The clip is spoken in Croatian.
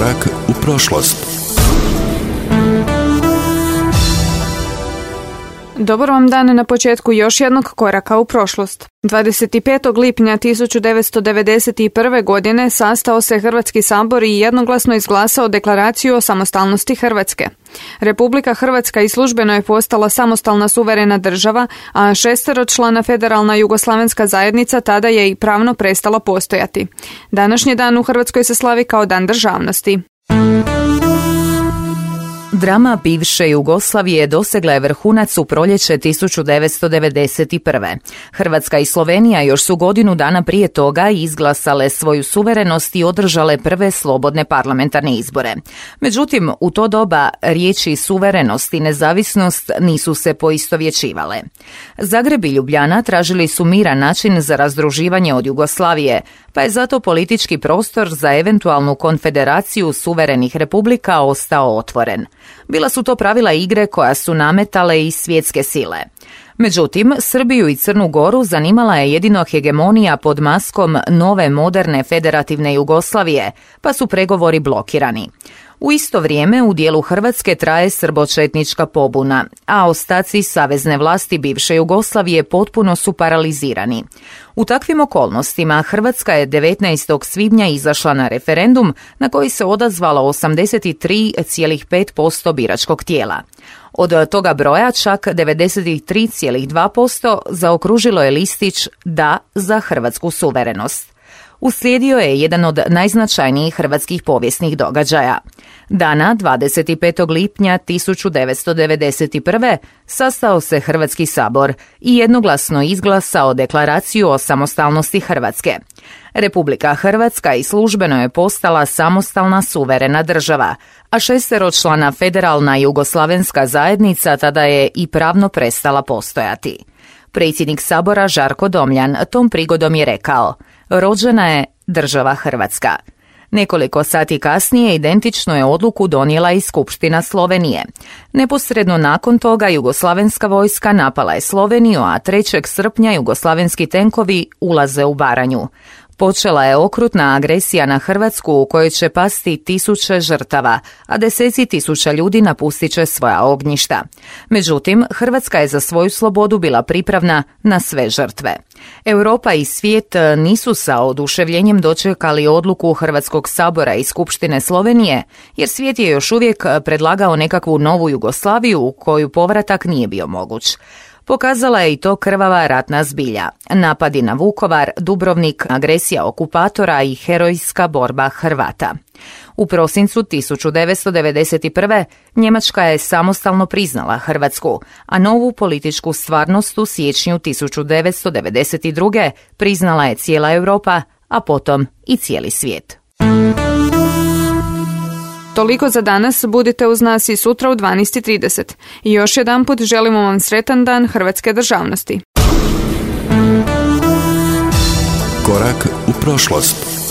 Korak u prošlost. Dobar vam dan na početku još jednog koraka u prošlost. 25. lipnja 1991. godine sastao se Hrvatski sabor i jednoglasno izglasao deklaraciju o samostalnosti Hrvatske. Republika Hrvatska i službeno je postala samostalna suverena država, a 6-člana federalna jugoslavenska zajednica tada je i pravno prestala postojati. Današnji dan u Hrvatskoj se slavi kao Dan državnosti. Drama bivše Jugoslavije dosegla je vrhunac u proljeće 1991. Hrvatska i Slovenija još su godinu dana prije toga izglasale svoju suverenost i održale prve slobodne parlamentarne izbore. Međutim, u to doba riječi suverenost i nezavisnost nisu se poistovjećivale. Zagreb i Ljubljana tražili su miran način za razdruživanje od Jugoslavije, pa je zato politički prostor za eventualnu konfederaciju suverenih republika ostao otvoren. Bila su to pravila igre koja su nametale i svjetske sile. Međutim, Srbiju i Crnu Goru zanimala je jedino hegemonija pod maskom nove moderne federativne Jugoslavije, pa su pregovori blokirani. U isto vrijeme u dijelu Hrvatske traje srbočetnička pobuna, a ostaci savezne vlasti bivše Jugoslavije potpuno su paralizirani. U takvim okolnostima Hrvatska je 19. svibnja izašla na referendum na koji se odazvalo 83,5% biračkog tijela. Od toga broja čak 93,2% zaokružilo je listić Da za hrvatsku suverenost. Uslijedio je jedan od najznačajnijih hrvatskih povijesnih događaja. Dana 25. lipnja 1991. sastao se Hrvatski sabor i jednoglasno izglasao deklaraciju o samostalnosti Hrvatske. Republika Hrvatska i službeno je postala samostalna suverena država, a 6-člana federalna jugoslavenska zajednica tada je i pravno prestala postojati. Predsjednik sabora Žarko Domljan tom prigodom je rekao: rođena je država Hrvatska. Nekoliko sati kasnije identično je odluku donijela i Skupština Slovenije. Neposredno nakon toga jugoslavenska vojska napala je Sloveniju, a 3. srpnja jugoslavenski tenkovi ulaze u Baranju. Počela je okrutna agresija na Hrvatsku u kojoj će pasti tisuće žrtava, a deseci tisuća ljudi napustit će svoja ognjišta. Međutim, Hrvatska je za svoju slobodu bila pripravna na sve žrtve. Europa i svijet nisu sa oduševljenjem dočekali odluku Hrvatskog sabora i Skupštine Slovenije, jer svijet je još uvijek predlagao nekakvu novu Jugoslaviju u koju povratak nije bio moguć. Pokazala je i to krvava ratna zbilja, napadi na Vukovar, Dubrovnik, agresija okupatora i herojska borba Hrvata. U prosincu 1991. Njemačka je samostalno priznala Hrvatsku, a novu političku stvarnost u siječnju 1992. priznala je cijela Europa, a potom i cijeli svijet. Toliko za danas, budite uz nas i sutra u 12:30. I još jedanput želimo vam sretan dan hrvatske državnosti. Korak u prošlost.